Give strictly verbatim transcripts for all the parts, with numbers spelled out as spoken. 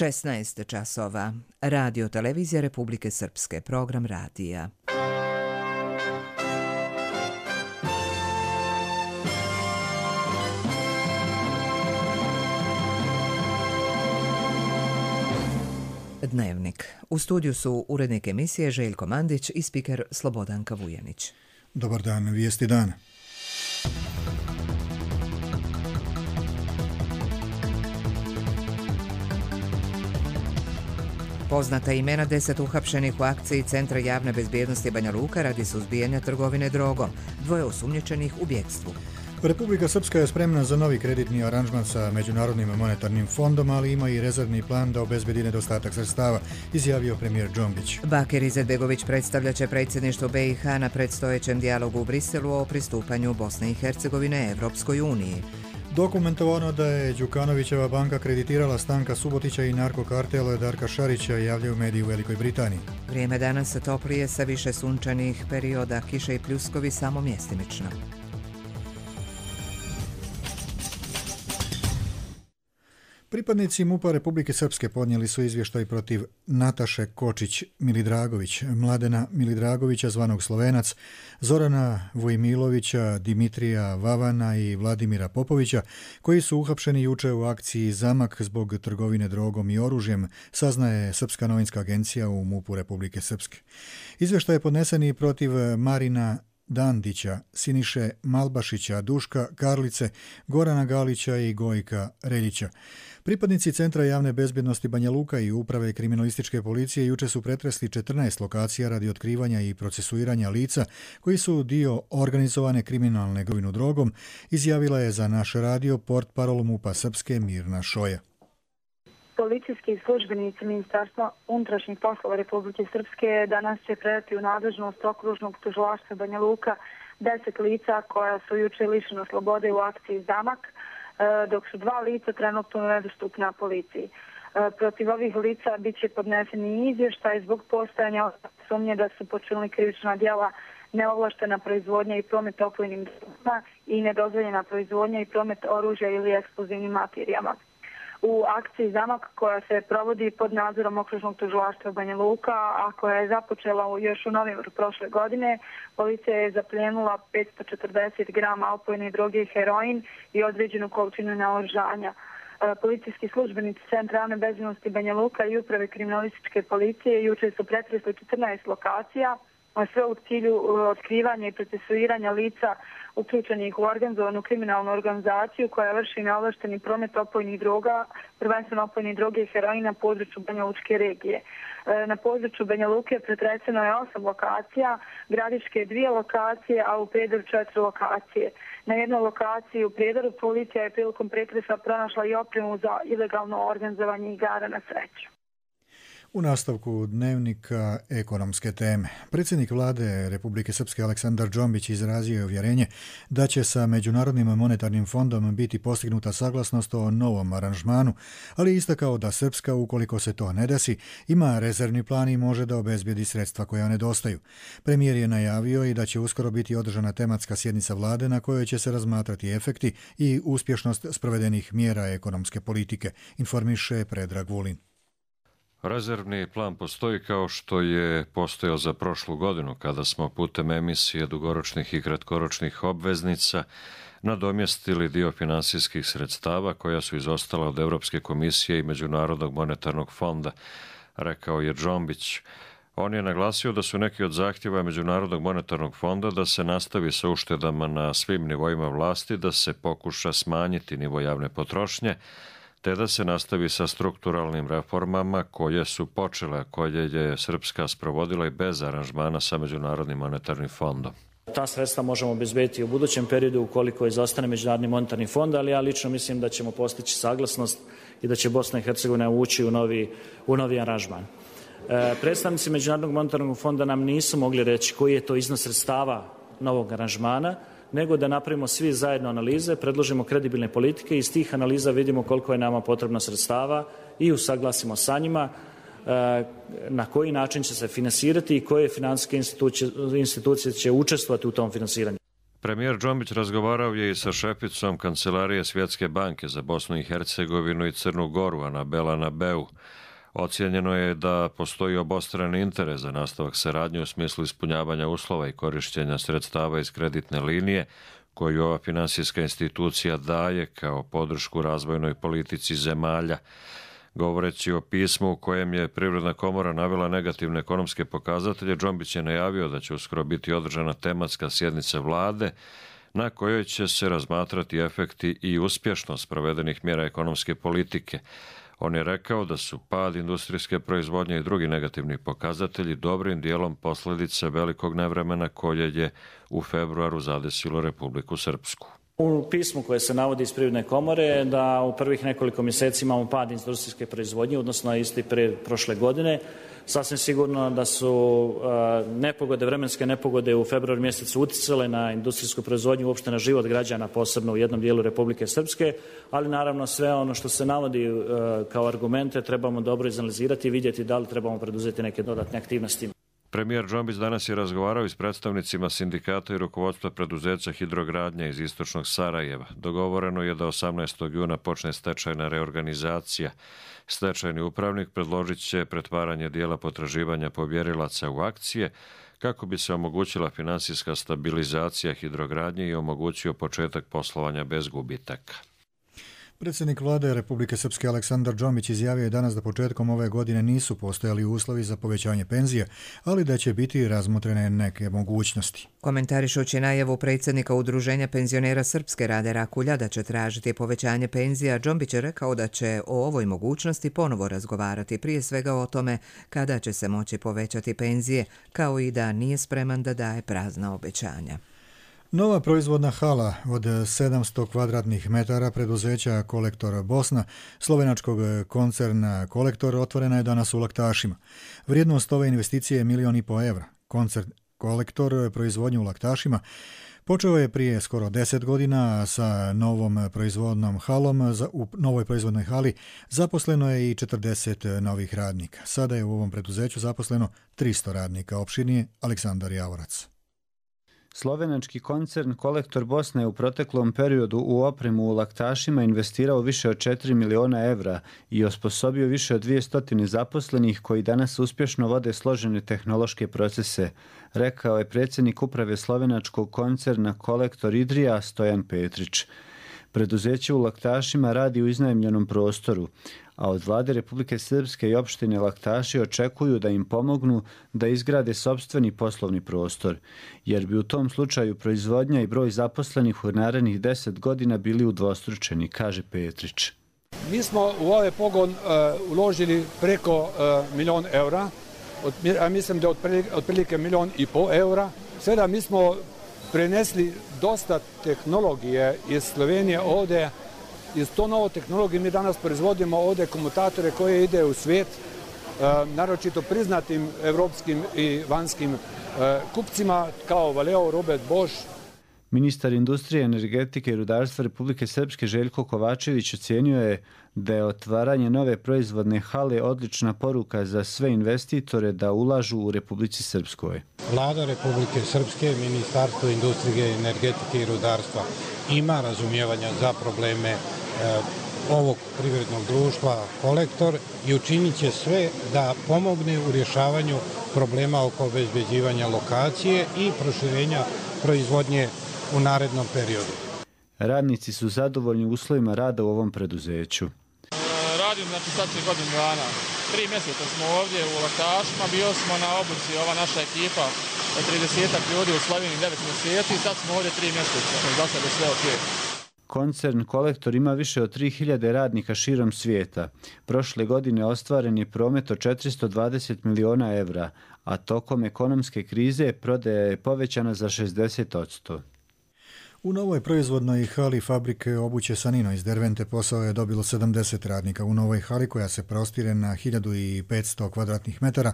šesnaest časova. Radio Televizija Republike Srpske. Program radija. Dnevnik. U studiju su urednik emisije Željko Mandić i spiker Slobodanka Vujanić. Dobar dan, vijesti dana. Poznata imena deset uhapšenih u akciji Centra javne bezbjednosti Banja Luka radi suzbijanja trgovine drogom, dvoje osumnjičenih u bjekstvu. Republika Srpska je spremna za novi kreditni aranžman sa Međunarodnim monetarnim fondom, ali ima i rezervni plan da obezbedi nedostatak sredstava, izjavio premijer Džombić. Bakir Izetbegović predstavljaće predsjedništvo B i H na predstojećem dijalogu u Briselu o pristupanju Bosne i Hercegovine Evropskoj uniji. Dokumentovano da je Đukanovićeva banka kreditirala Stanka Subotića i narkokartela Darka Šarića, javljaju mediji u Velikoj Britaniji. Vrijeme danas toplije sa više sunčanih perioda, kiše i pljuskovi samo mjestimično. Pripadnici MUP-a Republike Srpske podnijeli su izvještaj protiv Nataše Kočić-Milidragović, Mladena Milidragovića zvanog Slovenac, Zorana Vojmilovića, Dimitrija Vavana i Vladimira Popovića, koji su uhapšeni juče u akciji Zamak zbog trgovine drogom i oružjem, saznaje Srpska novinska agencija u MUP-u Republike Srpske. Izvještaj je podnesen i protiv Marina Dandića, Siniše Malbašića, Duška Karlice, Gorana Galića i Gojka Reljića. Pripadnici Centra javne bezbjednosti Banja Luka i Uprave kriminalističke policije juče su pretresli četrnaest lokacija radi otkrivanja i procesuiranja lica koji su dio organizovane kriminalne trgovine drogom, izjavila je za naš radio portparol MUP-a Srpske Mirna Šoja. Policijski službenici Ministarstva unutrašnjih poslova Republike Srpske danas će predati u nadležnost okružnog tužilaštva Banja Luka deset lica koja su juče lišena slobode u akciji Zamak, dok su dva lica trenutno nedostupna policiji. Protiv ovih lica bit će podneseni izvještaj zbog postojanja sumnje da su počinili krivična djela neovlaštena proizvodnja i promet opojnim drogama i nedozvoljena proizvodnja i promet oružja ili eksplozivnim materijama. U akciji Zamak, koja se provodi pod nadzorom okružnog tužilaštva Banja Luka, a koja je započela još u novembru prošle godine, policija je zaplijenula petsto četrdeset grama opojne droge i heroin i određenu količinu naoružanja. Policijski službenici Centra javne bezbjednosti Banja Luka i Uprave kriminalističke policije juče su pretresli četrnaest lokacija, a sve u cilju otkrivanja i procesuiranja lica uključenih u organizovanu kriminalnu organizaciju koja vrši neovlašteni promet opojnih droga, prvenstveno opojnih droge i heroina na području Banja Lučke regije. Na području Banja Luke pretreseno je osam lokacija, Gradiške dvije lokacije, a u Prijedoru četiri lokacije. Na jednoj lokaciji u Prijedoru policija je prilikom pretresa pronašla i opremu za ilegalno organizovanje igara na sreću. U nastavku dnevnika ekonomske teme. Predsjednik vlade Republike Srpske Aleksandar Džombić izrazio je uvjerenje da će sa Međunarodnim monetarnim fondom biti postignuta saglasnost o novom aranžmanu, ali istakao da Srpska, ukoliko se to ne desi, ima rezervni plan i može da obezbijedi sredstva koja nedostaju. Premijer je najavio i da će uskoro biti održana tematska sjednica vlade na kojoj će se razmatrati efekti i uspješnost sprovedenih mjera ekonomske politike, informiše Predrag Vulin. Rezervni plan postoji kao što je postojao za prošlu godinu kada smo putem emisije dugoročnih i kratkoročnih obveznica nadomjestili dio finansijskih sredstava koja su izostala od Europske komisije i Međunarodnog monetarnog fonda, rekao je Džombić. On je naglasio da su neki od zahtjeva Međunarodnog monetarnog fonda da se nastavi sa uštedama na svim nivoima vlasti, da se pokuša smanjiti nivo javne potrošnje, te da se nastavi sa strukturalnim reformama koje su počele, koje je Srpska sprovodila i bez aranžmana sa Međunarodnim monetarnim fondom. Ta sredstva možemo obezbediti u budućem periodu ukoliko izostane Međunarodni monetarni fond, ali ja lično mislim da ćemo postići saglasnost i da će Bosna i Hercegovina ući u novi, u novi aranžman. E, predstavnici Međunarodnog monetarnog fonda nam nisu mogli reći koji je to iznos sredstava novog aranžmana, nego da napravimo svi zajedno analize, predložimo kredibilne politike i iz tih analiza vidimo koliko je nama potrebno sredstava i usaglasimo sa njima na koji način će se finansirati i koje financijske institucije, institucije će učestvovati u tom finansiranju. Premijer Džombić razgovarao je i sa šeficom Kancelarije Svjetske banke za Bosnu i Hercegovinu i Crnu Goru, Anabela Nabeu. Ocijenjeno je da postoji obostrani interes za nastavak saradnje u smislu ispunjavanja uslova i korištenja sredstava iz kreditne linije koju ova finansijska institucija daje kao podršku razvojnoj politici zemalja. Govoreći o pismu u kojem je Privredna komora navela negativne ekonomske pokazatelje, Džombić je najavio da će uskoro biti održana tematska sjednica vlade na kojoj će se razmatrati efekti i uspješnost provedenih mjera ekonomske politike. On je rekao da su pad industrijske proizvodnje i drugi negativni pokazatelji dobrim dijelom posljedice velikog nevremena koje je u februaru zadesilo Republiku Srpsku. U pismu koje se navodi iz Privredne komore je da u prvih nekoliko mjeseci imamo pad industrijske proizvodnje, odnosno isti pre prošle godine. Sasvim sigurno da su nepogode, vremenske nepogode u februaru mjesecu utjecale na industrijsku proizvodnju, uopšte na život građana, posebno u jednom dijelu Republike Srpske, ali naravno sve ono što se navodi kao argumente trebamo dobro izanalizirati i vidjeti da li trebamo preduzeti neke dodatne aktivnosti. Premijer Džombić danas je razgovarao i s predstavnicima sindikata i rukovodstva preduzeća Hidrogradnja iz istočnog Sarajeva. Dogovoreno je da osamnaestog juna počne stečajna reorganizacija. Stečajni upravnik predložit će pretvaranje dijela potraživanja povjerilaca u akcije kako bi se omogućila finansijska stabilizacija Hidrogradnje i omogućio početak poslovanja bez gubitaka. Predsjednik vlade Republike Srpske Aleksandar Džombić izjavio je danas da početkom ove godine nisu postojali uslovi za povećanje penzije, ali da će biti razmotrene neke mogućnosti. Komentarišući najavu predsjednika Udruženja penzionera Srpske Rade Rakulja da će tražiti povećanje penzija, Džombić je rekao da će o ovoj mogućnosti ponovo razgovarati, prije svega o tome kada će se moći povećati penzije, kao i da nije spreman da daje prazna obećanja. Nova proizvodna hala od sedamsto kvadratnih metara preduzeća Kolektor Bosna, slovenačkog koncerna Kolektor, otvorena je danas u Laktašima. Vrijednost ove investicije je milijon i po evra. Koncern Kolektor proizvodnju u Laktašima počeo je prije skoro deset godina sa novom proizvodnom halom. U novoj proizvodnoj hali zaposleno je i četrdeset novih radnika. Sada je u ovom preduzeću zaposleno tristo radnika. Opširnije Aleksandar Javorac. Slovenački koncern Kolektor Bosne je u proteklom periodu u opremu u Laktašima investirao više od četiri miliona evra i osposobio više od dvjesto zaposlenih koji danas uspješno vode složene tehnološke procese, rekao je predsjednik uprave slovenačkog koncerna Kolektor Idrija Stojan Petrić. Preduzeće u Laktašima radi u iznajmljenom prostoru, a od vlade Republike Srpske i opštine Laktaši očekuju da im pomognu da izgrade sopstveni poslovni prostor, jer bi u tom slučaju proizvodnja i broj zaposlenih u narednih deset godina bili udvostručeni, kaže Petrić. Mi smo u ovaj pogon uh, uložili preko uh, milion eura, od, a mislim da je otprilike, otprilike milion i pol eura. Sada mi smo prenesli dosta tehnologije iz Slovenije ovdje. Iz to novo tehnologije mi danas proizvodimo ovdje komutatore koje ide u svijet, naročito priznatim evropskim i vanskim kupcima kao Valeo, Robert Bosch. Ministar industrije, energetike i rudarstva Republike Srpske Željko Kovačević ocenio je da je otvaranje nove proizvodne hale odlična poruka za sve investitore da ulažu u Republici Srpskoj. Vlada Republike Srpske, Ministarstvo industrije, energetike i rudarstva ima razumijevanja za probleme e, ovog privrednog društva Kolektor i učinit će sve da pomogne u rješavanju problema oko obezbeđivanja lokacije i proširenja proizvodnje u narednom periodu. Radnici su zadovoljni uslovima rada u ovom preduzeću. Radim znači sad će godinu dana. Tri mjeseca smo ovdje u Laktašima, bio smo na obuci, ova naša ekipa od tridesetak ljudi u Sloveniji devet mjeseci i sad smo ovdje tri mjeseca. Do sada je sve ok. Koncern Kolektor ima više od tri hiljade radnika širom svijeta. Prošle godine ostvaren je promet od četiristo dvadeset miliona evra, a tokom ekonomske krize prodaja je povećana za šezdeset posto. U novoj proizvodnoj hali fabrike obuće Sanino iz Dervente posao je dobilo sedamdeset radnika. U novoj hali, koja se prostire na hiljadu petsto kvadratnih metara,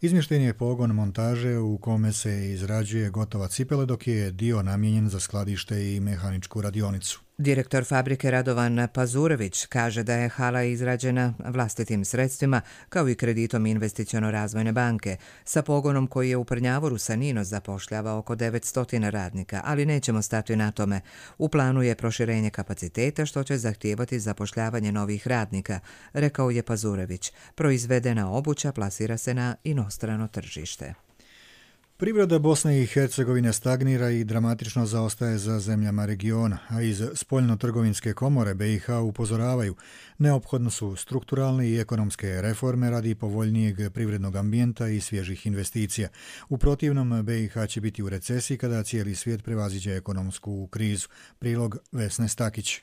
izmješten je pogon montaže u kome se izrađuje gotova cipele, dok je dio namijenjen za skladište i mehaničku radionicu. Direktor fabrike Radovan Pazurević kaže da je hala izrađena vlastitim sredstvima kao i kreditom Investiciono-razvojne banke sa pogonom koji je u Prnjavoru Sanino zapošljava oko devetsto radnika, ali nećemo stati na tome. U planu je proširenje kapaciteta što će zahtijevati zapošljavanje novih radnika, rekao je Pazurević. Proizvedena obuća plasira se na inostrano tržište. Privreda Bosne i Hercegovine stagnira i dramatično zaostaje za zemljama regiona, a iz Spoljno-trgovinske komore B i H upozoravaju neophodno su strukturalne i ekonomske reforme radi povoljnijeg privrednog ambijenta i svježih investicija. U protivnom, B i H će biti u recesiji kada cijeli svijet prevaziđe ekonomsku krizu. Prilog Vesne Stakić.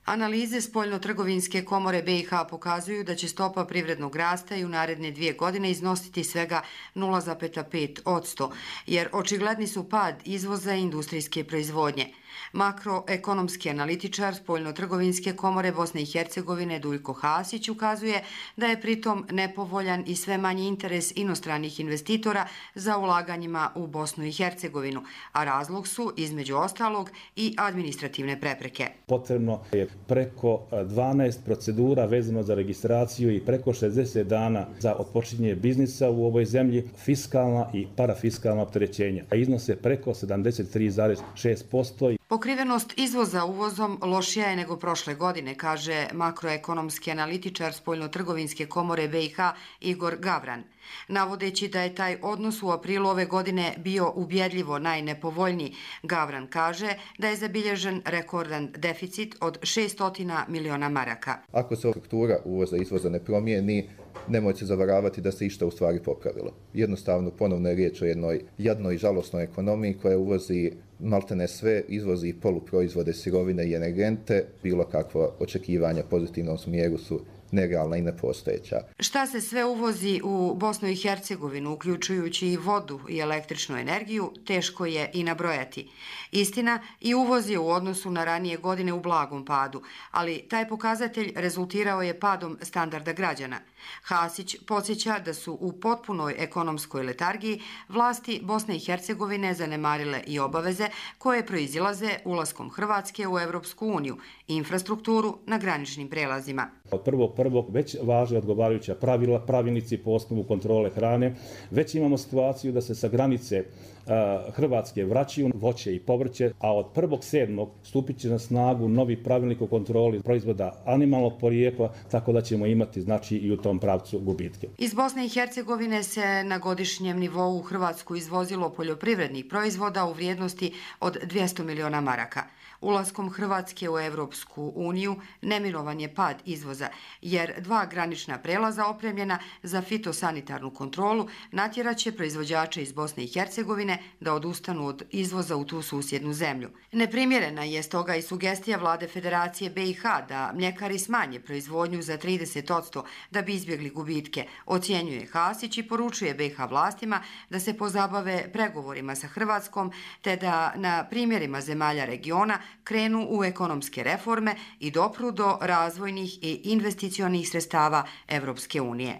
Analize Spoljno-trgovinske komore B i H pokazuju da će stopa privrednog rasta i u naredne dvije godine iznositi svega nula zarez pet posto, jer očigledni su pad izvoza i industrijske proizvodnje. Makroekonomski analitičar Spoljno-trgovinske komore Bosne i Hercegovine Duljko Hasić ukazuje da je pritom nepovoljan i sve manji interes inostranih investitora za ulaganjima u Bosnu i Hercegovinu, a razlog su, između ostalog, i administrativne prepreke. Potrebno je preko dvanaest procedura vezano za registraciju i preko šezdeset dana za otpočinjenje biznisa u ovoj zemlji, fiskalna i parafiskalna opterećenja, a iznose preko sedamdeset tri zarez šest posto. Pokrivenost izvoza uvozom lošija je nego prošle godine, kaže makroekonomski analitičar Spoljno-trgovinske komore B i H Igor Gavran, navodeći da je taj odnos u aprilu ove godine bio ubjedljivo najnepovoljniji. Gavran kaže da je zabilježen rekordan deficit od šessto miliona maraka. Ako se struktura uvoza i izvoza ne promijeni, nemojte se zavaravati da se išta u stvari popravilo. Jednostavno, ponovno je riječ o jednoj jadnoj i žalosnoj ekonomiji koja uvozi maltene sve, izvozi poluproizvode, sirovine i energente. Bilo kakva očekivanja pozitivnom smjeru su nerealna i nepostojeća. Šta se sve uvozi u Bosnu i Hercegovinu, uključujući i vodu i električnu energiju, teško je i nabrojati. Istina, i uvoz je u odnosu na ranije godine u blagom padu, ali taj pokazatelj rezultirao je padom standarda građana. Hasić podsjeća da su u potpunoj ekonomskoj letargiji vlasti Bosne i Hercegovine zanemarile i obaveze koje proizilaze ulaskom Hrvatske u Evropsku uniju i infrastrukturu na graničnim prelazima. Od prvog prvog već važe odgovarajuća pravila, pravilnici po osnovu kontrole hrane. Već imamo situaciju da se sa granice uh, Hrvatske vraćaju voće i povrće, a od prvog sedmog stupit će na snagu novi pravilnik o kontroli proizvoda animalnog porijekla, tako da ćemo imati znači i u tom pravcu gubitke. Iz Bosne i Hercegovine se na godišnjem nivou u Hrvatsku izvozilo poljoprivrednih proizvoda u vrijednosti od dvjesto miliona maraka. Ulaskom Hrvatske u Evropsku uniju neminovan je pad izvoza, jer dva granična prelaza opremljena za fitosanitarnu kontrolu natjeraće proizvođače iz Bosne i Hercegovine da odustanu od izvoza u tu susjednu zemlju. Neprimjerena je stoga i sugestija vlade Federacije B i H da mljekari smanje proizvodnju za trideset posto da bi izbjegli gubitke, ocjenjuje Hasić i poručuje B i H vlastima da se pozabave pregovorima sa Hrvatskom te da na primjerima zemalja regiona krenu u ekonomske reforme i dopru do razvojnih i investicionih sredstava Evropske unije.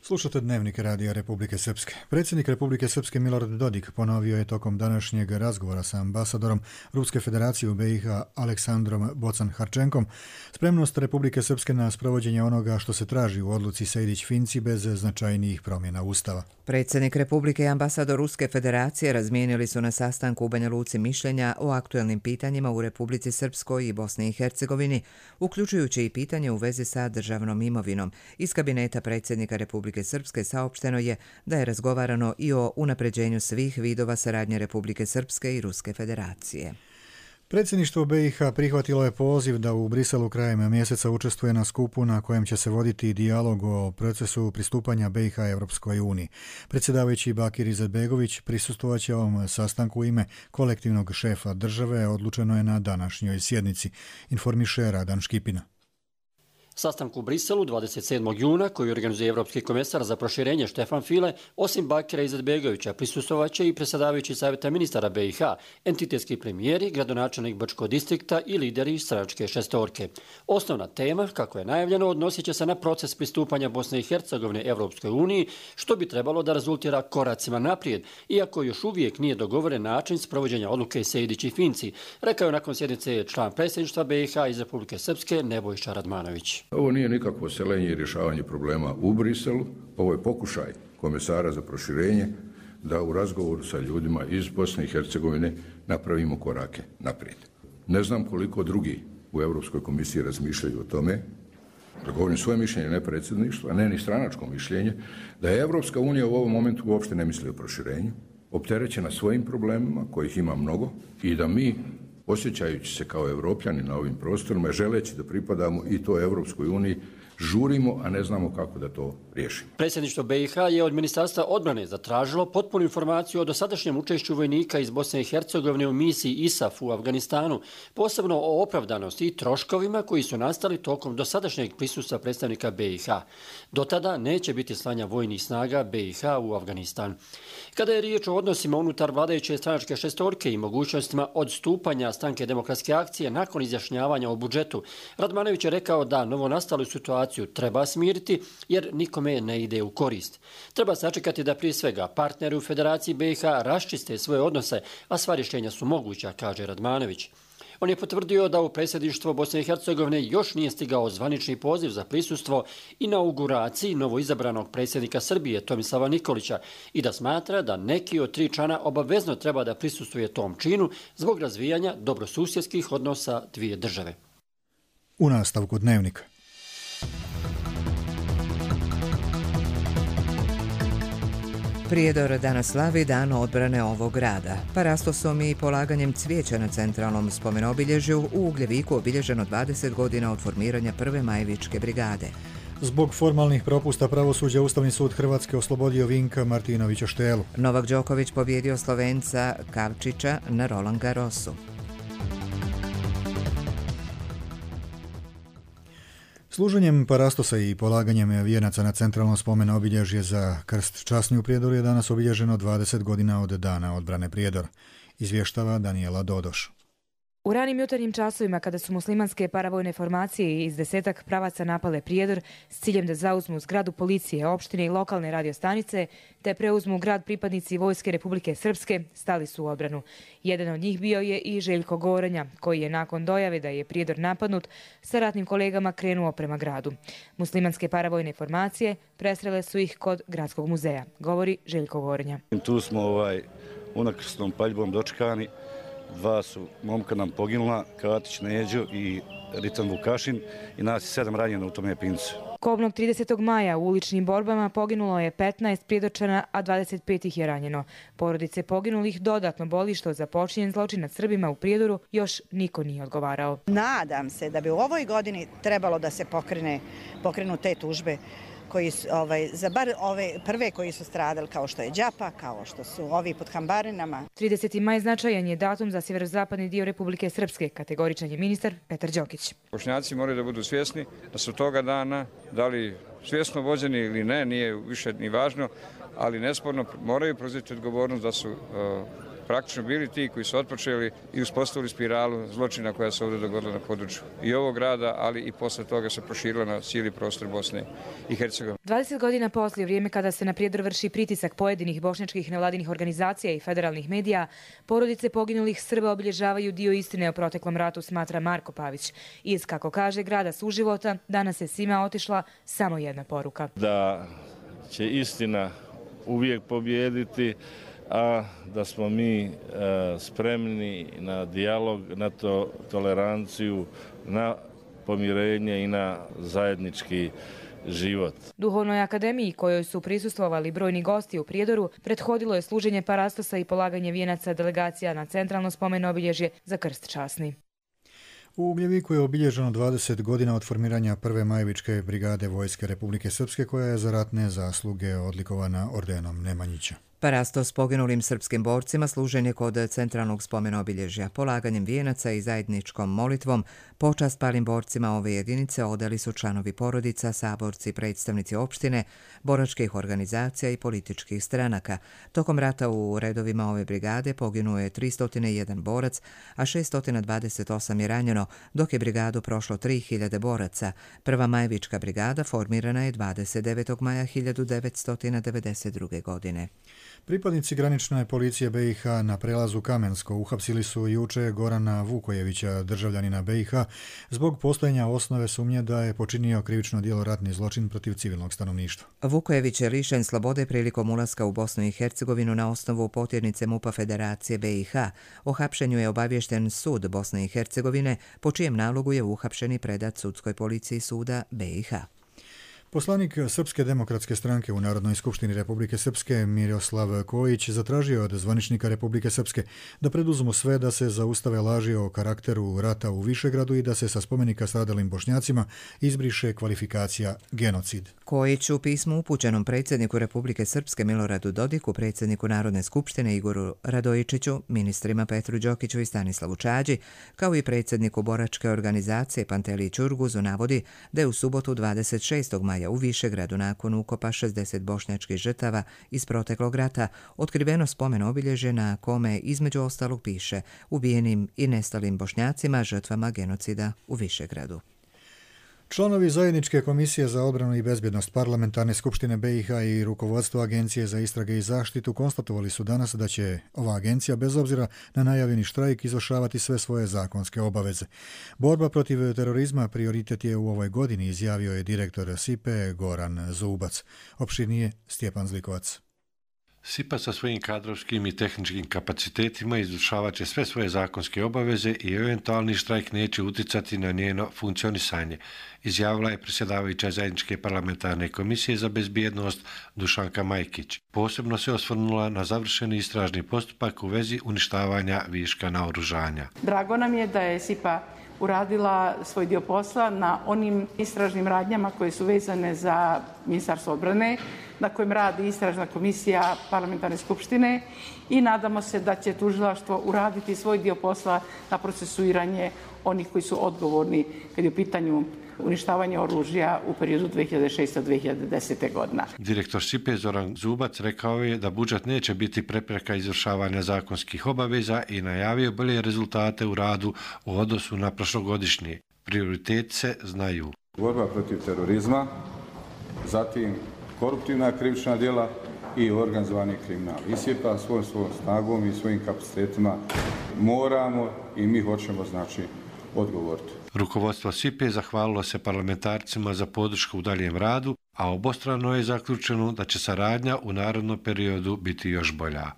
Slušate Dnevnik Radija Republike Srpske. Predsjednik Republike Srpske Milorad Dodik ponovio je tokom današnjeg razgovora sa ambasadorom Ruske federacije u B i H Aleksandrom Bocan-Harčenkom spremnost Republike Srpske na sprovođenje onoga što se traži u odluci Sejdić-Finci bez značajnijih promjena Ustava. Predsjednik Republike i ambasador Ruske federacije razmijenili su na sastanku u Banja Luci mišljenja o aktuelnim pitanjima u Republici Srpskoj i Bosni i Hercegovini, uključujući i pitanje u vezi sa državnom imovinom. Iz kabineta predsjednika Republike Srpske saopšteno je da je razgovarano i o unapređenju svih vidova saradnje Republike Srpske i Ruske federacije. Predsjedništvo B i H prihvatilo je poziv da u Briselu krajem mjeseca učestvuje na skupu na kojem će se voditi dijalog o procesu pristupanja B i H Evropskoj uniji. Predsjedavajući Bakir Izetbegović prisustvovat će ovom sastanku u ime kolektivnog šefa države, odlučeno je na današnjoj sjednici, informiše Radan Škipina. Sastanku u Briselu dvadeset sedmog juna koji organizuje Evropski komesar za proširenje Štefan File, osim Bakira Izetbegovića, prisustvovaće i predsjedavajući savjeta ministara B i H, entitetski premijeri, gradonačelnik Brčkog distrikta i lideri stranačke šestorke. Osnovna tema, kako je najavljeno, odnosit će se na proces pristupanja Bosne i Hercegovine Evropskoj uniji, što bi trebalo da rezultira koracima naprijed, iako još uvijek nije dogovoren način sprovođenja odluke Sejdić i Finci, rekao je nakon sjednice član predsjedništva B i H iz Republike Srpske Nebojša Radmanović. Ovo nije nikakvo seljenje i rješavanje problema u Briselu, ovo je pokušaj komesara za proširenje da u razgovoru sa ljudima iz Bosne i Hercegovine napravimo korake naprijed. Ne znam koliko drugi u Europskoj komisiji razmišljaju o tome, da govorim svoje mišljenje, ne predsjedništva, ne ni stranačko mišljenje, da je Evropska unija u ovom momentu uopšte ne misli o proširenju, opterećena svojim problemima, kojih ima mnogo, i da mi, osjećajući se kao Evropljani na ovim prostorima, želeći da pripadamo i to Evropskoj uniji, žurimo, a ne znamo kako da to riješimo. Predsjedništvo B i H je od Ministarstva odbrane zatražilo potpunu informaciju o dosadašnjem učešću vojnika iz Bosne i Hercegovine u misiji I S A F u Afganistanu, posebno o opravdanosti i troškovima koji su nastali tokom dosadašnjeg prisustva predstavnika B i H. Do tada neće biti slanja vojnih snaga B i H u Afganistan. Kada je riječ o odnosima unutar vladajuće stranačke šestorke i mogućnostima odstupanja Stranke demokratske akcije nakon izjašnjavanja o budžetu, Radmanović je rekao da novonastalu situaciju treba smiriti jer nikome ne ide u korist. Treba sačekati da prije svega partneri u Federaciji B i H raščiste svoje odnose, a sva rješenja su moguća, kaže Radmanović. On je potvrdio da u predsjedništvo Bosne i Hercegovine još nije stigao zvanični poziv za prisustvo inauguraciji novoizabranog predsjednika Srbije Tomislava Nikolića i da smatra da neki od tri člana obavezno treba da prisustvuje tom činu zbog razvijanja dobrosusjedskih odnosa dvije države. U nastavku Dnevnika. Prijedor danas slavi dan odbrane ovog grada. Parastosom i polaganjem cvijeća na centralnom spomenobilježju u Ugljeviku obilježeno dvadeset godina od formiranja prve Majevičke brigade. Zbog formalnih propusta pravosuđa Ustavni sud Hrvatske oslobodio Vinka Martinovića Štelu. Novak Đoković pobjedio Slovenca Kavčića na Roland Garrosu. Služenjem parastosa i polaganjem vijenaca na centralno spomen obilježje za krst časni u Prijedoru je danas obilježeno dvadeset godina od dana odbrane Prijedor, izvještava Danijela Dodoš. U ranim jutarnjim časovima, kada su muslimanske paravojne formacije iz desetak pravaca napale Prijedor s ciljem da zauzmu zgradu policije, opštine i lokalne radiostanice, te preuzmu grad pripadnici Vojske Republike Srpske, stali su u odbranu. Jedan od njih bio je i Željko Gorenja, koji je nakon dojave da je Prijedor napadnut sa ratnim kolegama krenuo prema gradu. Muslimanske paravojne formacije presrele su ih kod Gradskog muzeja, govori Željko Gorenja. Tu smo ovaj, unakrsnom paljbom dočekani. Dva su momka nam poginula, Katić Neđo i Ritan Vukašin, i nas je sedam ranjeno u tome pincu. Kobnog tridesetog maja u uličnim borbama poginulo je petnaest Prijedorčana, a dvadeset pet ih je ranjeno. Porodice poginulih dodatno boli što za počinjen zločin nad Srbima u Prijedoru još niko nije odgovarao. Nadam se da bi u ovoj godini trebalo da se pokrene, pokrenu te tužbe koji su, ovaj, za bar ove prve koji su stradali, kao što je Đapa, kao što su ovi pod Hambarinama. trideseti maj značajan je datum za sjeverozapadni dio Republike Srpske, kategoričan je ministar Petar Đokić. Bošnjaci moraju da budu svjesni da su toga dana, da li svjesno vođeni ili ne, nije više ni važno, ali nesporno moraju preuzeti odgovornost da su uh, praktično bili ti koji su otpočeli i uspostavili spiralu zločina koja se ovdje dogodila na području i ovog grada, ali i posle toga se proširila na cijeli prostor Bosne i Hercegovine. dvadeset godina poslije, vrijeme kada se na Prijedor vrši pritisak pojedinih bošnjačkih nevladinih organizacija i federalnih medija, porodice poginulih Srba obilježavaju dio istine o proteklom ratu, smatra Marko Pavić. Iz, kako kaže, grada suživota, danas je svima otišla samo jedna poruka. Da će istina uvijek pobijediti, a da smo mi e, spremni na dijalog, na to, toleranciju, na pomirenje i na zajednički život. Duhovnoj akademiji, kojoj su prisustvovali brojni gosti u Prijedoru, prethodilo je služenje parastosa i polaganje vijenaca delegacija na centralno spomen obilježje za krst časni. U Ugljeviku je obilježeno dvadeset godina od formiranja prve Majevičke brigade Vojske Republike Srpske, koja je za ratne zasluge odlikovana ordenom Nemanjića. Parasto s poginulim srpskim borcima služen je kod centralnog spomena obilježja. Polaganjem vijenaca i zajedničkom molitvom počast palim borcima ove jedinice odali su članovi porodica, saborci, predstavnici opštine, boračkih organizacija i političkih stranaka. Tokom rata u redovima ove brigade poginuo je tristo jedan borac, a šesto dvadeset osam je ranjeno, dok je brigadu prošlo tri hiljade boraca. Prva Majevička brigada formirana je dvadeset devetog maja hiljadu devetsto devedeset druge. godine. Pripadnici granične policije B i H na prelazu Kamensko uhapsili su juče Gorana Vukojevića, državljanina B i H, zbog postojanja osnove sumnje da je počinio krivično djelo ratni zločin protiv civilnog stanovništva. Vukojević je lišen slobode prilikom ulaska u Bosnu i Hercegovinu na osnovu potjernice MUP-a Federacije B i H. O hapšenju je obaviješten sud Bosne i Hercegovine, po čijem nalogu je uhapšen i predat sudskoj policiji suda B i H. Poslanik Srpske demokratske stranke u Narodnoj skupštini Republike Srpske Miroslav Kojić zatražio od zvaničnika Republike Srpske da preduzmu sve da se zaustave laži o karakteru rata u Višegradu i da se sa spomenika stradalim Bošnjacima izbriše kvalifikacija genocid. Kojić u pismu upućenom predsjedniku Republike Srpske Miloradu Dodiku, predsjedniku Narodne skupštine Igoru Radojičiću, ministrima Petru Đokiću i Stanislavu Čađi, kao i predsjedniku boračke organizacije Panteliji Ćurguzu navodi da je u subotu dvadeset šestog maja u Višegradu nakon ukopa šezdeset bošnjačkih žrtava iz proteklog rata otkriveno spomen obilježje na kome između ostalog piše ubijenim i nestalim Bošnjacima žrtvama genocida u Višegradu. Članovi Zajedničke komisije za odbranu i bezbjednost Parlamentarne skupštine B i H i rukovodstvo Agencije za istrage i zaštitu konstatovali su danas da će ova agencija bez obzira na najavljeni štrajk izvršavati sve svoje zakonske obaveze. Borba protiv terorizma prioritet je u ovoj godini, izjavio je direktor S I P E Goran Zubac. Opširnije Stjepan Zlikovac. S I P A sa svojim kadrovskim i tehničkim kapacitetima izvršavat će sve svoje zakonske obaveze i eventualni štrajk neće uticati na njeno funkcionisanje, izjavila je predsjedavajuća Zajedničke parlamentarne komisije za bezbjednost Dušanka Majkić. Posebno se osvrnula na završeni istražni postupak u vezi uništavanja viška naoružanja. Drago nam je da je S I P A uradila svoj dio posla na onim istražnim radnjama koje su vezane za Ministarstvo odbrane, na kojem radi istražna komisija Parlamentarne skupštine i nadamo se da će tužilaštvo uraditi svoj dio posla na procesuiranje onih koji su odgovorni kad je u pitanju uništavanje oružja u periodu dve hiljade šeste do dve hiljade desete. godina. Direktor S I P E Zoran Zubac rekao je da budžet neće biti prepreka izvršavanja zakonskih obaveza i najavio bolje rezultate u radu u odnosu na prošlogodišnje. Prioriteti se znaju. Borba protiv terorizma, zatim koruptivna krivična djela i organizovani kriminal. I S I P A svojom svojom snagom i svojim kapacitetima moramo i mi hoćemo znači odgovoriti. Rukovodstvo S I P E zahvalilo se parlamentarcima za podršku u daljem radu, a obostrano je zaključeno da će saradnja u narednom periodu biti još bolja.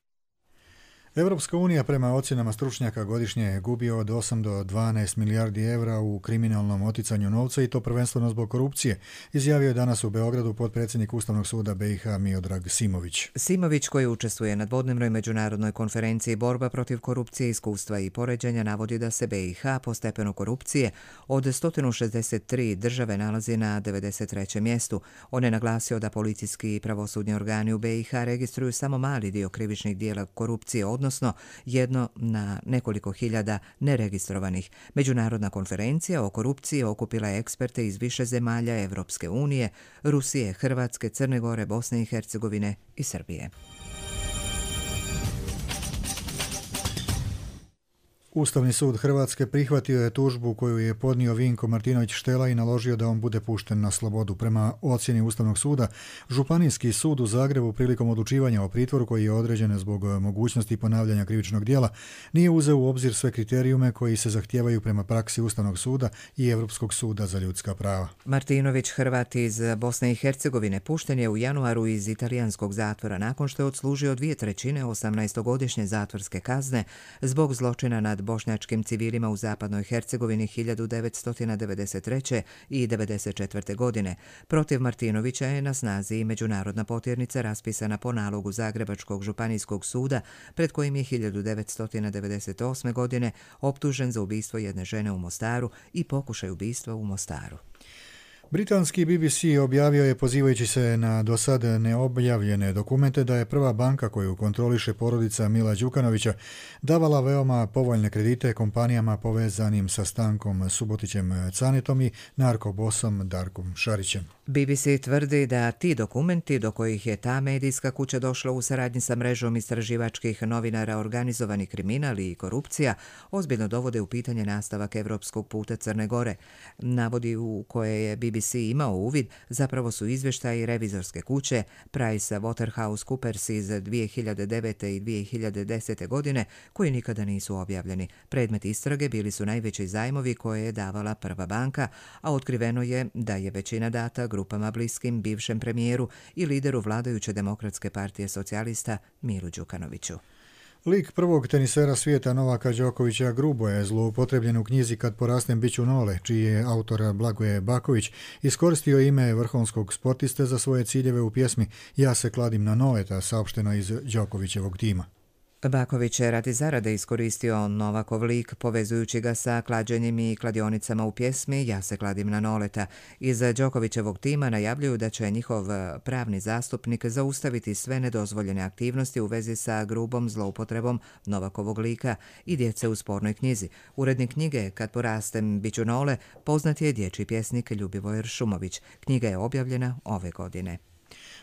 Evropska unija prema ocjenama stručnjaka godišnje gubi od osam do dvanaest milijardi evra u kriminalnom oticanju novca i to prvenstveno zbog korupcije, izjavio je danas u Beogradu potpredsjednik Ustavnog suda B i H Miodrag Simović. Simović, koji učestvuje na dvodnevnoj međunarodnoj konferenciji Borba protiv korupcije, iskustva i poređenja, navodi da se B i H po stepenu korupcije od sto šezdeset tri države nalazi na devedeset trećem mjestu. On je naglasio da policijski i pravosudni organi u B i H registruju samo mali dio krivičnih dijela korupcije, odnosno jedno na nekoliko hiljada neregistrovanih. Međunarodna konferencija o korupciji okupila je eksperte iz više zemalja Evropske unije, Rusije, Hrvatske, Crne Gore, Bosne i Hercegovine i Srbije. Ustavni sud Hrvatske prihvatio je tužbu koju je podnio Vinko Martinović Štela i naložio da on bude pušten na slobodu. Prema ocjeni Ustavnog suda, Županijski sud u Zagrebu prilikom odlučivanja o pritvoru koji je određen zbog mogućnosti ponavljanja krivičnog djela nije uzeo u obzir sve kriterijume koji se zahtijevaju prema praksi Ustavnog suda i Europskog suda za ljudska prava. Martinović, Hrvat iz Bosne i Hercegovine, pušten je u januaru iz italijanskog zatvora nakon što je odslužio dvije trećine osamnaestogodišnje zatvorske kazne zbog zločina nad bošnjačkim civilima u zapadnoj Hercegovini hiljadu devetsto devedeset treće. i devedeset četvrte. godine. Protiv Martinovića je na snazi i međunarodna potjernica raspisana po nalogu Zagrebačkog županijskog suda, pred kojim je hiljadu devetsto devedeset osme. godine optužen za ubistvo jedne žene u Mostaru i pokušaj ubistva u Mostaru. Britanski B B C objavio je, pozivajući se na do sad neobjavljene dokumente, da je prva banka koju kontroliše porodica Mila Đukanovića davala veoma povoljne kredite kompanijama povezanim sa Stankom Subotićem Canetom i narkobosom Darkom Šarićem. B B C tvrdi da ti dokumenti do kojih je ta medijska kuća došla u saradnji sa mrežom istraživačkih novinara Organizovani kriminal i korupcija ozbiljno dovode u pitanje nastavak evropskog puta Crne Gore. Navodi u koje je B B C imao uvid zapravo su izvještaji revizorske kuće Price Waterhouse Coopers iz dvije hiljade devete i dvije hiljade desete godine koji nikada nisu objavljeni. Predmet istrage bili su najveći zajmovi koje je davala prva banka, a otkriveno je da je većina data grupama bliskim bivšem premijeru i lideru vladajuće Demokratske partije socijalista Milu Đukanoviću. Lik prvog tenisera svijeta Novaka Đokovića grubo je zloupotrebljen u knjizi Kad porastem bit ću Nole, čiji je autor Blagoje Baković iskoristio ime vrhunskog sportiste za svoje ciljeve u pjesmi Ja se kladim na noleta, saopšteno iz Đokovićevog tima. Baković je radi zarade iskoristio Novakov lik, povezujući ga sa klađenjem i kladionicama u pjesmi Ja se kladim na noleta. Iz Đokovićevog tima najavljuju da će njihov pravni zastupnik zaustaviti sve nedozvoljene aktivnosti u vezi sa grubom zloupotrebom Novakovog lika i djece u spornoj knjizi. Urednik knjige Kad porastem bit ću Nole poznat je dječji pjesnik Ljubivoj Šumović. Knjiga je objavljena ove godine.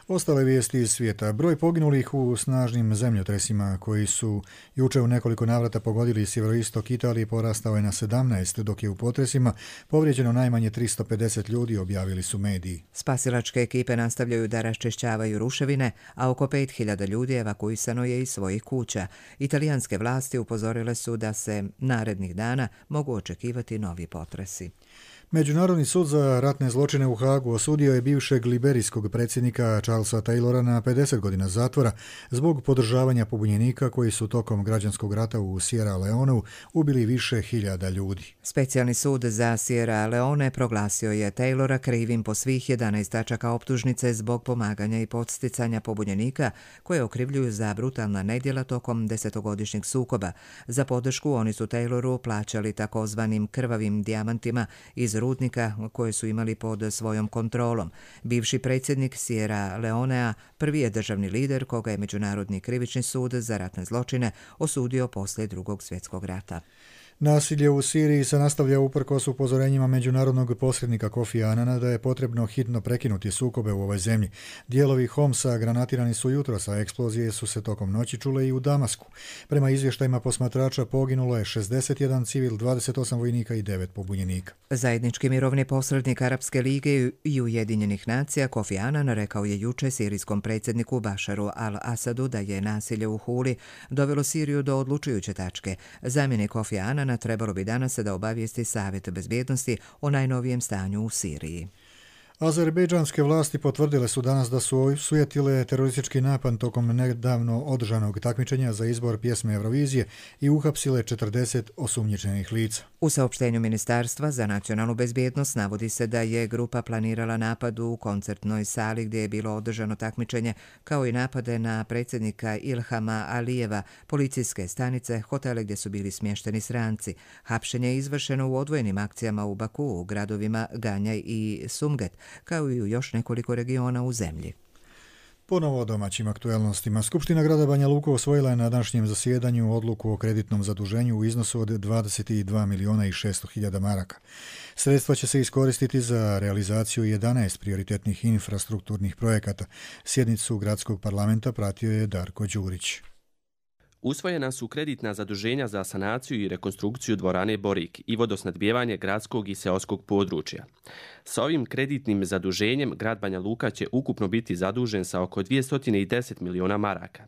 Ostale vijesti iz svijeta. Broj poginulih u snažnim zemljotresima koji su juče u nekoliko navrata pogodili sjeveroistok Italije porastao je na sedamnaest, dok je u potresima povrijeđeno najmanje tristo pedeset ljudi, objavili su mediji. Spasilačke ekipe nastavljaju da raščišćavaju ruševine, a oko pet hiljada ljudi evakuisano je iz svojih kuća. Italijanske vlasti upozorile su da se narednih dana mogu očekivati novi potresi. Međunarodni sud za ratne zločine u Hagu osudio je bivšeg liberijskog predsjednika Charlesa Taylora na pedeset godina zatvora zbog podržavanja pobunjenika koji su tokom građanskog rata u Sierra Leoneu ubili više hiljada ljudi. Specijalni sud za Sierra Leone proglasio je Taylora krivim po svih jedanaest tačaka optužnice zbog pomaganja i podsticanja pobunjenika koje okrivljuju za brutalna nedjela tokom desetogodišnjeg sukoba. Za podršku oni su Tayloru plaćali takozvanim krvavim dijamantima iz rudnika koje su imali pod svojom kontrolom. Bivši predsjednik Sierra Leonea prvi je državni lider koga je Međunarodni krivični sud za ratne zločine osudio poslije Drugog svjetskog rata. Nasilje u Siriji se nastavlja uprkos upozorenjima međunarodnog posrednika Kofi Anana da je potrebno hitno prekinuti sukobe u ovoj zemlji. Dijelovi Homsa granatirani su jutros, a eksplozije su se tokom noći čule i u Damasku. Prema izvještajima posmatrača poginulo je šezdeset jedan civil, dvadeset osam vojnika i devet pobunjenika. Zajednički mirovni posrednik Arapske lige i Ujedinjenih nacija Kofi Anan rekao je juče sirijskom predsjedniku Bašaru al-Asadu da je nasilje u Huli dovelo Siriju do odlučujuće tačke. Zamjenik Kofi Anan trebalo bi danas da obavijesti Savjet bezbjednosti o najnovijem stanju u Siriji. Azerbejdžanske vlasti potvrdile su danas da su osujetile teroristički napad tokom nedavno održanog takmičenja za izbor pjesme Eurovizije i uhapsile četrdeset osumnjičenih lica. U saopštenju Ministarstva za nacionalnu bezbjednost navodi se da je grupa planirala napad u koncertnoj sali gdje je bilo održano takmičenje, kao i napade na predsjednika Ilhama Alijeva, policijske stanice, hotele gdje su bili smješteni stranci. Hapšenje je izvršeno u odvojenim akcijama u Baku, u gradovima Ganjaj i Sumget, kao i u još nekoliko regiona u zemlji. Ponovo o domaćim aktuelnostima. Skupština grada Banja Luka usvojila je na današnjem zasjedanju odluku o kreditnom zaduženju u iznosu od dvadeset dva miliona i šesto hiljada maraka. Sredstva će se iskoristiti za realizaciju jedanaest prioritetnih infrastrukturnih projekata. Sjednicu gradskog parlamenta pratio je Darko Đurić. Usvojena su kreditna zaduženja za sanaciju i rekonstrukciju dvorane Borik i vodosnadbijevanje gradskog i seoskog područja. Sa ovim kreditnim zaduženjem grad Banja Luka će ukupno biti zadužen sa oko dvjesto deset miliona maraka.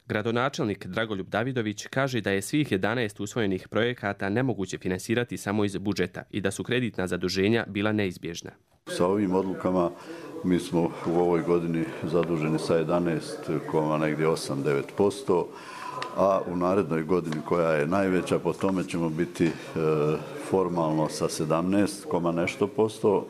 Gradonačelnik Dragoljub Davidović kaže da je svih jedanaest usvojenih projekata nemoguće finansirati samo iz budžeta i da su kreditna zaduženja bila neizbježna. Sa ovim odlukama mi smo u ovoj godini zaduženi sa jedanaest zarez osam do devet posto, a u narednoj godini koja je najveća, po tome ćemo biti e, formalno sa sedamnaest zarez nešto posto,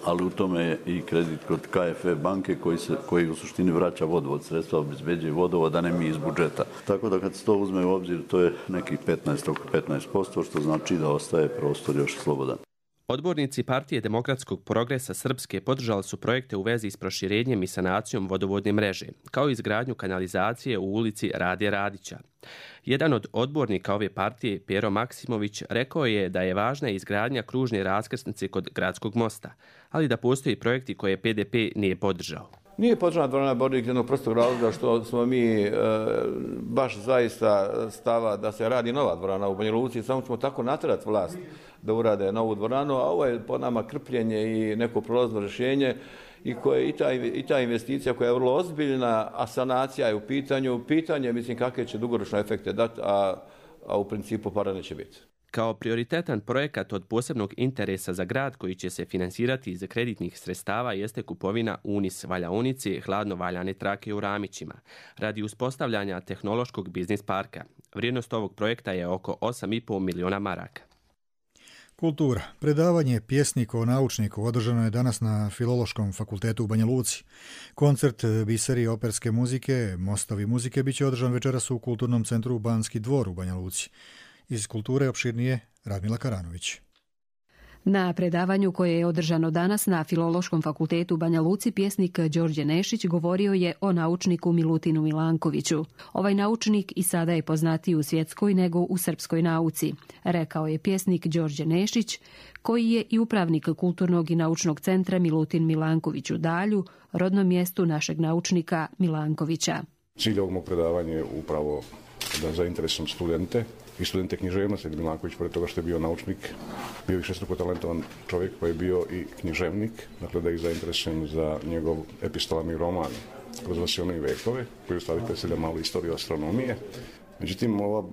ali u tome je i kredit kod K F E banke koji, se, koji u suštini vraća vodovod, sredstva obezbeđuje vodovod, a ne mi iz budžeta. Tako da kad se to uzme u obzir, to je nekih petnaest posto, što znači da ostaje prostor još slobodan. Odbornici Partije demokratskog progresa Srpske podržali su projekte u vezi s proširenjem i sanacijom vodovodne mreže, kao i izgradnju kanalizacije u ulici Rade Radića. Jedan od odbornika ove partije, Pero Maksimović, rekao je da je važna izgradnja kružne raskrsnice kod Gradskog mosta, ali da postoji projekti koje P D P nije podržao. Nije podržana dvorana Bornik jednog prostog razloga što smo mi e, baš zaista stava da se radi nova dvorana u Banja Luci, samo ćemo tako natjerati vlast da urade novu dvoranu, a ovo je po nama krpljenje i neko prolazno rješenje i, koje, i, ta, i ta investicija koja je vrlo ozbiljna, a sanacija je u pitanju. Pitanje, mislim, kakve će dugoročne efekte dati, a, a u principu para neće biti. Kao prioritetan projekat od posebnog interesa za grad koji će se finansirati iz kreditnih sredstava jeste kupovina Unis valjaonice hladno valjane trake u Ramićima radi uspostavljanja tehnološkog biznis parka. Vrijednost ovog projekta je oko osam i pol miliona maraka. Kultura. Predavanje pjesniku o naučniku održano je danas na Filološkom fakultetu u Banja Luci. Koncert biseri operske muzike, mostovi muzike, bit će održan večeras u Kulturnom centru Banski dvor u Banja Luci. Iz kulture opširnije Radmila Karanović. Na predavanju koje je održano danas na Filološkom fakultetu u Banja Luci, pjesnik Đorđe Nešić govorio je o naučniku Milutinu Milankoviću. Ovaj naučnik i sada je poznatiji u svjetskoj nego u srpskoj nauci, rekao je pjesnik Đorđe Nešić, koji je i upravnik Kulturnog i naučnog centra Milutin Milanković u Dalju, rodnom mjestu našeg naučnika Milankovića. Cilj ovog mog predavanja je upravo da zainteresujem studente i studente književnosti. Milanković, pored toga što je bio naučnik, bio je višestruko talentovan čovjek koji je bio i književnik, dakle da ih zainteresujem za njegov epistolarni roman Kroz vasione i vekove, koji u stvari predstavlja malu istoriju astronomije. Međutim, ova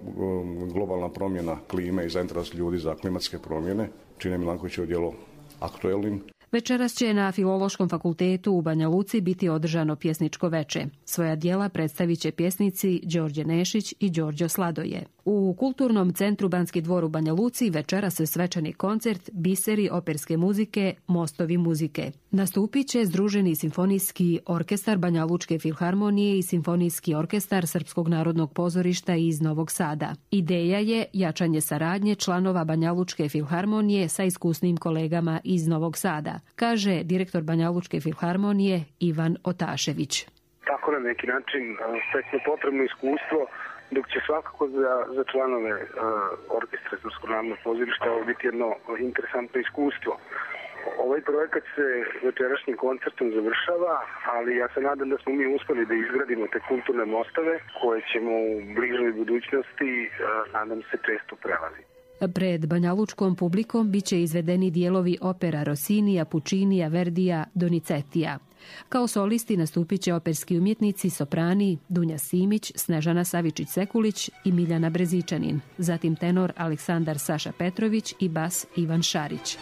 globalna promjena klime i zainteres ljudi za klimatske promjene čine Milankovićevo djelo aktuelnim. Večeras će na Filološkom fakultetu u Banja Luci biti održano pjesničko veče. Svoja djela predstavit će pjesnici Đorđe Nešić i Đorđo Sladoje. U Kulturnom centru Banski dvor u Banja Luci večeras je svečani koncert Biseri operske muzike, mostovi muzike. Nastupit će Združeni simfonijski orkestar Banja Lučke filharmonije i Simfonijski orkestar Srpskog narodnog pozorišta iz Novog Sada. Ideja je jačanje saradnje članova Banja Lučke filharmonije sa iskusnim kolegama iz Novog Sada, kaže direktor Banja Lučke filharmonije Ivan Otašević. Tako na neki način stekne potrebno iskustvo, dok će svakako za, za članove uh, orkestra Srpskog narodnog pozorišta ovo biti jedno interesantno iskustvo. Ovaj projekat se večerašnjim koncertom završava, ali ja se nadam da smo mi uspjeli da izgradimo te kulturne mostove koje ćemo u bližoj budućnosti, uh, nadam se, često prelaziti. Pred banjalučkom publikom biće izvedeni dijelovi opera Rossinija, Puccinija, Verdija, Donizetija. Kao solisti nastupit će operski umjetnici, soprani Dunja Simić, Snežana Savičić-Sekulić i Miljana Brezičanin, zatim tenor Aleksandar Saša Petrović i bas Ivan Šarić.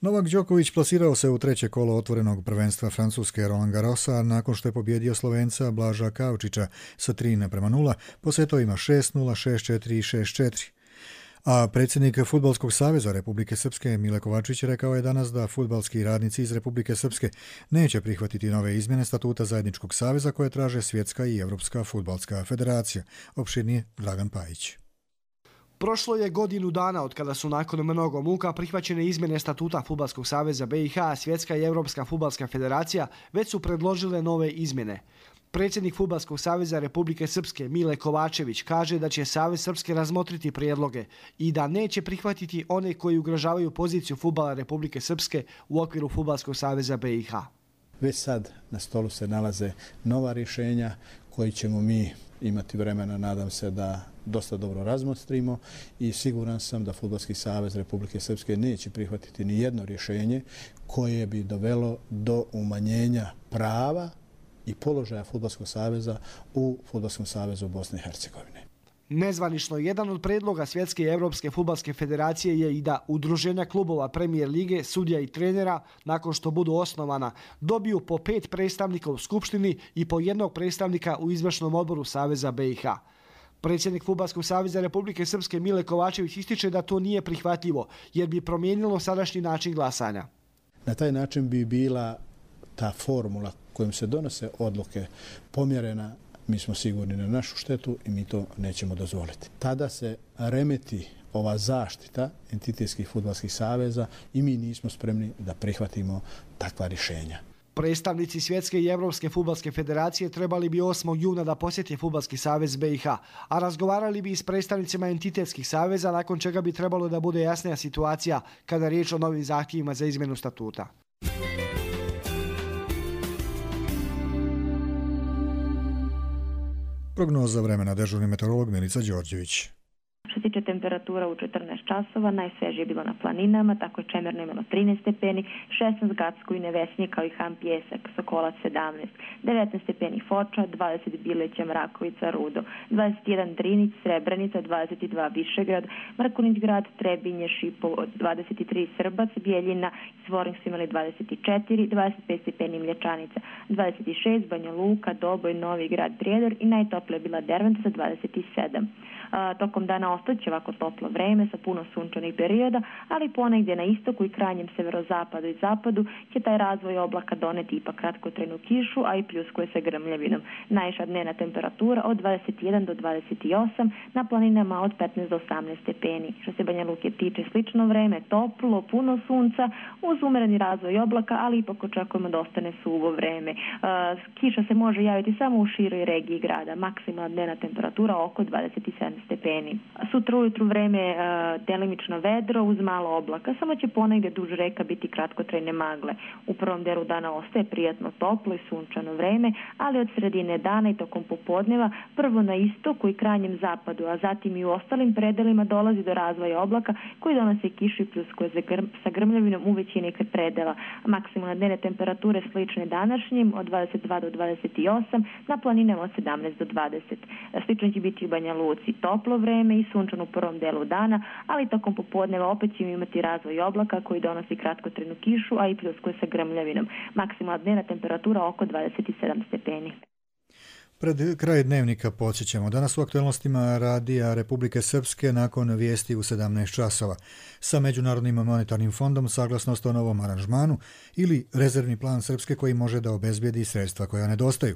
Novak Đoković plasirao se u treće kolo otvorenog prvenstva Francuske Roland Garrosa nakon što je pobjedio Slovenca Blaža Kaučića sa tri naprema nula po setovima šest nula, šest četiri i šest četiri. A predsjednik Fudbalskog saveza Republike Srpske Mile Kovačić rekao je danas da fudbalski radnici iz Republike Srpske neće prihvatiti nove izmjene statuta zajedničkog saveza koje traže Svjetska i Evropska fudbalska federacija. Opširnije Dragan Pajić. Prošlo je godinu dana od kada su nakon mnogo muka prihvaćene izmjene statuta Fudbalskog saveza B i H, Svjetska i Evropska fudbalska federacija već su predložile nove izmjene. Predsjednik Fudbalskog saveza Republike Srpske Mile Kovačević kaže da će Savez Srpske razmotriti prijedloge i da neće prihvatiti one koji ugrožavaju poziciju fudbala Republike Srpske u okviru Fudbalskog saveza B i H. Već sad na stolu se nalaze nova rješenja koji ćemo mi imati vremena, nadam se, da dosta dobro razmotrimo i siguran sam da Fudbalski savez Republike Srpske neće prihvatiti ni jedno rješenje koje bi dovelo do umanjenja prava i položaja Fudbalskog saveza u Fudbalskom savezu Bosne i Hercegovine. Nezvanično, jedan od predloga Svjetske i Evropske fudbalske federacije je i da udruženja klubova Premier lige, sudija i trenera, nakon što budu osnovana, dobiju po pet predstavnika u Skupštini i po jednog predstavnika u izvršnom odboru Saveza B i H. Predsjednik Fudbalskog saveza Republike Srpske Mile Kovačević ističe da to nije prihvatljivo, jer bi promijenilo sadašnji način glasanja. Na taj način bi bila ta formula kojom se donose odluke pomjerena, mi smo sigurni na našu štetu i mi to nećemo dozvoliti. Tada se remeti ova zaštita entitetskih fudbalskih saveza i mi nismo spremni da prihvatimo takva rješenja. Predstavnici Svjetske i Europske fudbalske federacije trebali bi osmog juna da posjeti Fudbalski savez B i H, a razgovarali bi i s predstavnicima entitetskih saveza, nakon čega bi trebalo da bude jasnija situacija kada je riječ o novim zahtjevima za izmjenu statuta. Prognoza vremena, dežurni meteorolog Milica Đorđević. Što se tiče temperatura u četrnaest časova, najsvežije je bilo na planinama, tako je Čemerno imalo trinaest stepeni, šesnaest Gacko i Nevesnje kao i Ham Pjesak, Sokolac sedamnaest, devetnaest stepeni Foča, dvadeset Bileća, Mrakovica, Rudo, dvadeset jedan Drinić, Srebrenica, dvadeset dva Višegrad, Mrkunić grad, Trebinje, Šipovo, dvadeset tri Srbac, Bijeljina i Zvorin su imali dvadeset četiri, dvadeset pet stepeni Mlječanica, dvadeset šest Banja Luka, Doboj, Novi grad, Prijedor i najtoplija je bila Derventa sa dvadeset sedam. A, tokom dana ostaće ovako toplo vreme sa puno sunčanih perioda, ali ponegdje na istoku i krajnjem severozapadu i zapadu će taj razvoj oblaka doneti ipak kratkotrajnu kišu, a i pljuskuje se grmljavinom. Najviša dnevna temperatura od dvadeset jedan do dvadeset osam, na planinama od petnaest do osamnaest stepeni. Što se Banja Luke tiče, slično vreme, toplo, puno sunca, uz umereni razvoj oblaka, ali ipak očekujemo da ostane suvo vreme. A, kiša se može javiti samo u široj regiji grada, maksimalna dnevna temperatura oko dvadeset sedam stepeni. Sutra ujutru vreme e, delimično vedro uz malo oblaka, samo će ponegdje duž reka biti kratkotrajne magle. U prvom delu dana ostaje prijatno toplo i sunčano vreme, ali od sredine dana i tokom popodneva prvo na istoku i krajnjem zapadu, a zatim i u ostalim predelima dolazi do razvoja oblaka koji donose kišu i pljuskuje sa grmljavinom u većini predela. Maksimalne dnevne temperature slične današnjim od dvadeset dva do dvadeset osam, na planinama od sedamnaest do dvadeset. Slično će biti u Banja Luci, toplo vreme i sunčano u prvom delu dana, ali tokom popodneva opet ćemo imati razvoj oblaka koji donosi kratkotrajnu kišu, a i pljuskuje sa grmljavinom. Maksimalna dnevna temperatura oko dvadeset sedam stepeni. Pred kraj dnevnika podsjećamo. Danas u aktualnostima Radija Republike Srpske nakon vijesti u sedamnaest časova. Sa Međunarodnim monetarnim fondom saglasnost o novom aranžmanu ili rezervni plan Srpske koji može da obezbijedi sredstva koja nedostaju.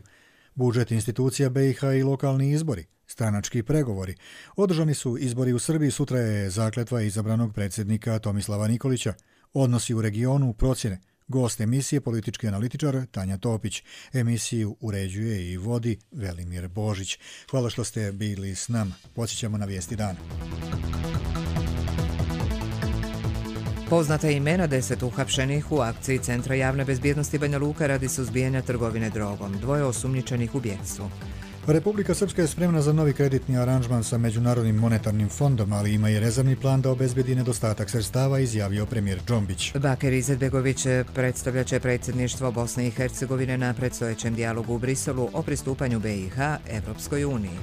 Budžet institucija B i H i lokalni izbori, stranački pregovori. Održani su izbori u Srbiji, sutra je zakletva izabranog predsjednika Tomislava Nikolića. Odnosi u regionu, procjene. Gost emisije, politički analitičar Tanja Topić. Emisiju uređuje i vodi Velimir Božić. Hvala što ste bili s nama. Podsjećamo na vijesti dana. Poznata imena deset uhapšenih u akciji Centra javne bezbjednosti Banja Luka radi suzbijanja trgovine drogom, dvoje osumnjičenih u bjegstvu. Republika Srpska je spremna za novi kreditni aranžman sa Međunarodnim monetarnim fondom, ali ima i rezervni plan da obezbedi nedostatak sredstava, izjavio premijer Džombić. Bakir Izetbegović predstavljaće predsjedništvo Bosne i Hercegovine na predstojećem dijalogu u Briselu o pristupanju B i H Evropskoj uniji.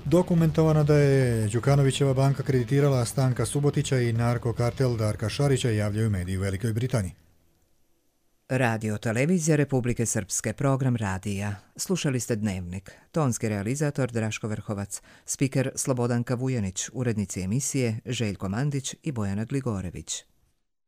Dokumentovano da je Đukanovićeva banka kreditirala Stanka Subotića i narkokartel Darka Šarića, javljaju mediji u Velikoj Britaniji. Radio Televizija Republike Srpske, program radija. Slušali ste Dnevnik. Tonski realizator Draško Vrhovac, spiker Slobodanka Vujanić, urednici emisije Željko Mandić i Bojana Gligorević.